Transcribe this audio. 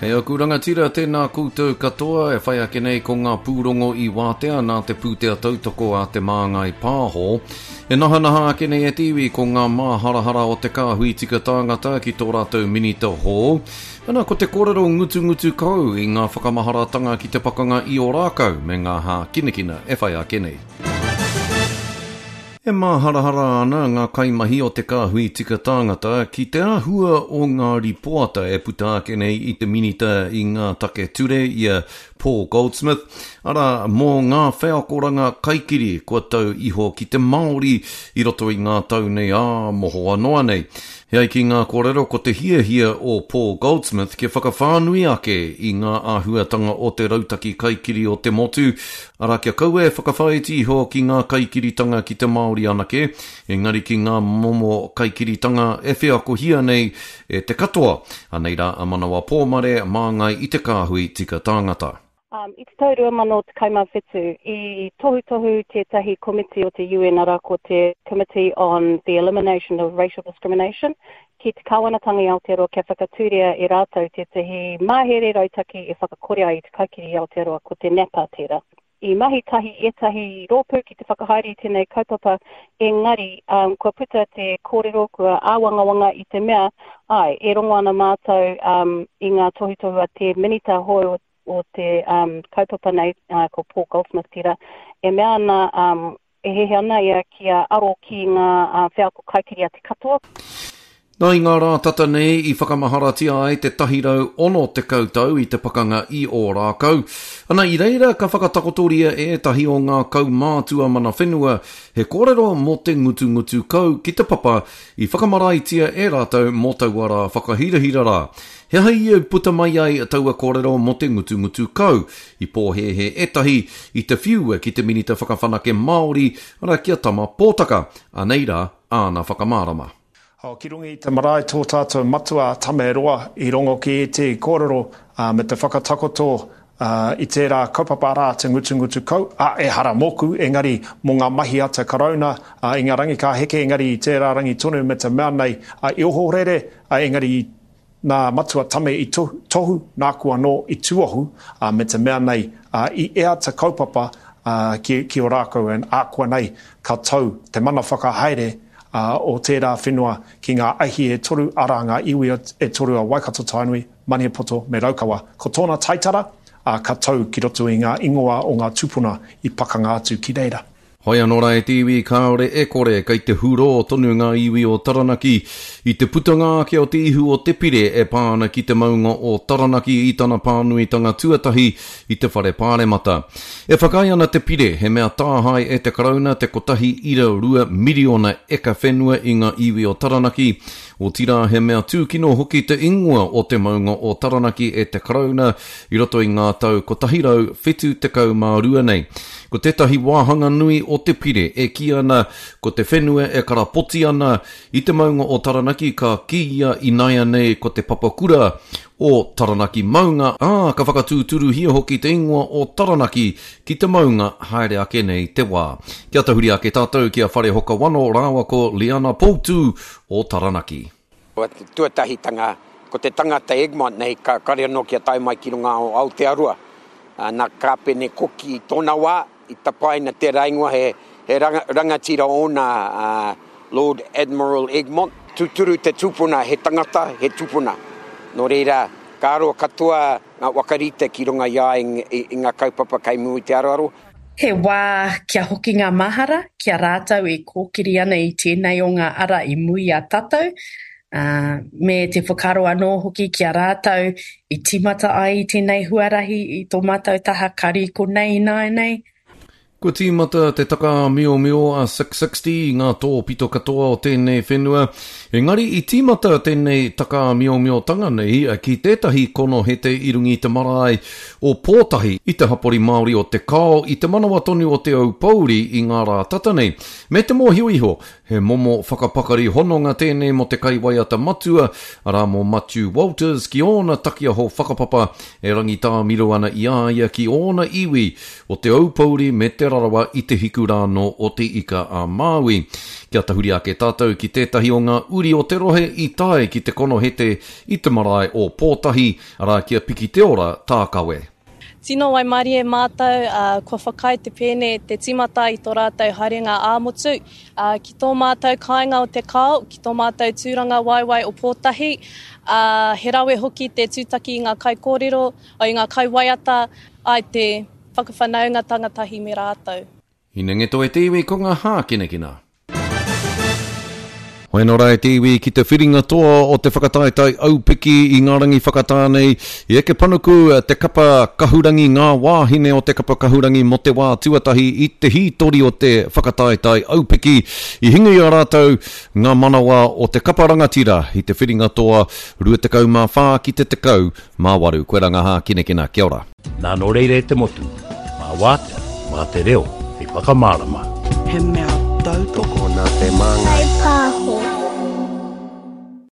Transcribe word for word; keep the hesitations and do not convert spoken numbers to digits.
Kei aku rangatira, tēnā koutou katoa e whai ake nei ko ngā pūrongo i wātea nā te pūtea tautoko a Te Māngai Pāho. E nahanaha ake nei e te iwi ko ngā māharahara o te kāhui tika tāngata ki tō rātou minita hou. Ana ko te kōrero ngutungutu kau i ngā whakamaharatanga ki te pakanga i Ōrākau me ngā hākinakina e whai ake nei. E māharahara ana ngā kaimahi o te kāhui tika tāngata ki te āhua o ngā ripoata e puta ake nei i te minita i ngā take ture i a Paul Goldsmith, arā mō ngā wheakoranga kaikiri kua tau iho ki te Māori i roto i ngā tau nei ā mohoa noa nei. He ai ki ngā kōrero ko te hiahia o Paul Goldsmith kia whakawhānui ake i ngā āhuatanga o te rautaki kaikiri o te motu, arā kia kaua e whakawhāiti iho ki ngā kaikiritanga ki te Māori anake, engari ki ngā momo kaikiritanga e wheakohia nei e te katoa. Anei rā a Manawa Pōmare māngai i te kāhui tika tāngata. Um, I te tau rua mano tekau mā whitu, i tohutohu tētahi komiti o te U N, arā ko te Committee on the Elimination of Racial Discrimination, ki te kāwanatanga i Aotearoa kia whakatūria e rātou tētahi mahere rautaki e whakakore ai i te kaikiri i Aotearoa, ko te NAPA tērā. I mahi tahi ētahi rōpū ki te whakahaere i tēnei kaupapa, engari um, kua puta te kōrero, kua āwangawanga i te mea, ai, e rongo ana mātou um, i ngā tohutohu a te minita hou o te um, kaupapa nei, uh, ko Paul Goldsmith tērā, e mea ana, um, e hehe ana ia kia aro ki ngā uh, wheako kaikiri a te katoa. Nā i ngā rā tata nei i whakamaharatia ai te tahirau ono tekau tau i te pakanga i Ōrākau. Ana i reira ka whakatakotoria ētahi o ngā kaumātua mana whenua he kōrero mō te ngutungutu kau ki te papa i whakamaraitia e rātou mō taua rā whakahirahira rā. He aha ia puta mai ai taua kōrero mō te ngutungutu kau i pōhēhē ētahi i te whiua ki te minita whakawhanake Māori arā ki a Tama Pōtaka. Anei rā āna whakamārama. O, ki runga i te marae tō tātou matua Tameroa i rongo ki e te kōrero uh, me te whakatakoto uh, i tērā kaupapa rā te ngutungutu kau, a e hara mōku, engari mō ngā mahi a te Karauna uh, i ngā rangi ka heke, engari i tērā rangi tonu me te mea nei uh, i ohorere, uh, engari nā matua Tame i tohu, tohu nāku anō i tuohu, uh, me te mea nei uh, i ea te kaupapa uh, ki, ki o rākau en ākua nei ka tau te mana whakahaere Uh, o tērā whenua ki ngā ahi e toru, arā ngā iwi e toru a Waikato Tainui, Maniapoto me Raukawa. Ko tōna taitara, uh, ka tau ki roto i ngā ingoa o ngā tūpuna i pakanga atu ki reira. Hoi anō rā e te iwi kāore e kore kei te hurō tonu ngā iwi o Taranaki i te putanga ake o te ihu o te pire e pā ana ki te maunga o Taranaki i tana pānuitanga tuatahi i te whare pāremata. E whakaae ana te pire he mea tāhae e te Karauna te kotahi ira rua miriona eka whenua i ngā iwi o Taranaki. Otirā he mea tūkino hoki te ingoa o te maunga o Taranaki e te Karauna i roto i ngā tau kotahi rau whitu tekau mā rua nei. Ko tētahi wāhanga nui o te pire e kī ana ko te whenua e karapoti ana i te maunga o Taranaki ka kīia ināianei ko te papakura o Taranaki maunga, ā, ka whakatūturuhia hoki te ingoa o Taranaki ki te maunga haere ake nei te wā. Kia tahuri ake tātou ki a Wharehoka Wano rāua ko Liana Poutu o Taranaki. Ko te tuatahitanga, ko te tangata Egmont nei, ka kare anō kia tae mai ki runga o Aotearoa. Nā Kāpene Koki i tōna wā, i tapaina tērā ingoa he, he ranga, rangatira ōna uh, Lord Admiral Egmont. Tūturu te tūpuna, he tangata, he tūpuna. Nō reira, ka aro katoa ngā wakarite ki runga i a i, i, i ngā kaupapa kei mua i te aroaro. He wā kia hoki ngā mahara, kia rātou e kōkiri ana i tēnei o ngā ara i mui a tātou, uh, me te whakaaro anō hoki kia rātou i tīmata ai i tēnei huarahi i tō mātou taha kari konei ināianei. Kua tīmata te takaāmiomio a six sixty i ngā tōpito katoa o tēnei whenua. Engari i tīmata tēnei takaāmiomiotanga nei ki tētahi konohete i runga i te marae o Pōtahi i te hapori Māori o Te Kao i te manawa tonu o Te Aupōuri i ngā rā tata nei. Me te mōhio iho, he momo whakapakari hononga tēnei mō te kaiwaiata matua, arā mō Matiu Walters ki ōna takiaho whakapapa e rangitāmiro ana i a ia ki ōna iwi o Te Aupōuri me te Rarawa i te hiku rānō o Te Ika a Māui. Kia tahuri ake tātou ki tētahi o ngā uri uri o te rohe i tae ki te konohete i te marae o Pōtahi, arā ki a Piki Te Ora Tākawe. Tino waimarie mātou, ā, kua whakaae te pēne te tīmata i tō rātou haerenga ā-motu, ā, ki tō mātou kāinga o Te Kao, ki tō mātou tūrangawaewae o Pōtahi, ā, he rawe hoki te tūtaki i ngā kaikōrero, i ngā kaiwaiata, āe, te whakawhanaungatanga tahi me rātou. Hinengito e te iwi ko ngā hākinakina. Whaino rā e te iwi ki te whiringa toa o te whakataetae aupiki i ngā rangi whakatā nei, i eke panuku te kapa kahurangi ngā wāhine o te kapa kahurangi mō te wā tuatahi i te hītori o te whakataetae aupiki. I hinga i a rātou ngā manawa o te kapa rangatira i te whiringa toa rua tekau mā whā ki te tekau mā waru. Koe rā ngā hākinakina. Kia ora. Nā nō reira e te motu, mā wātea, mā te reo, hei whakamārama. He mea tautoko nā te Māngai Pāho.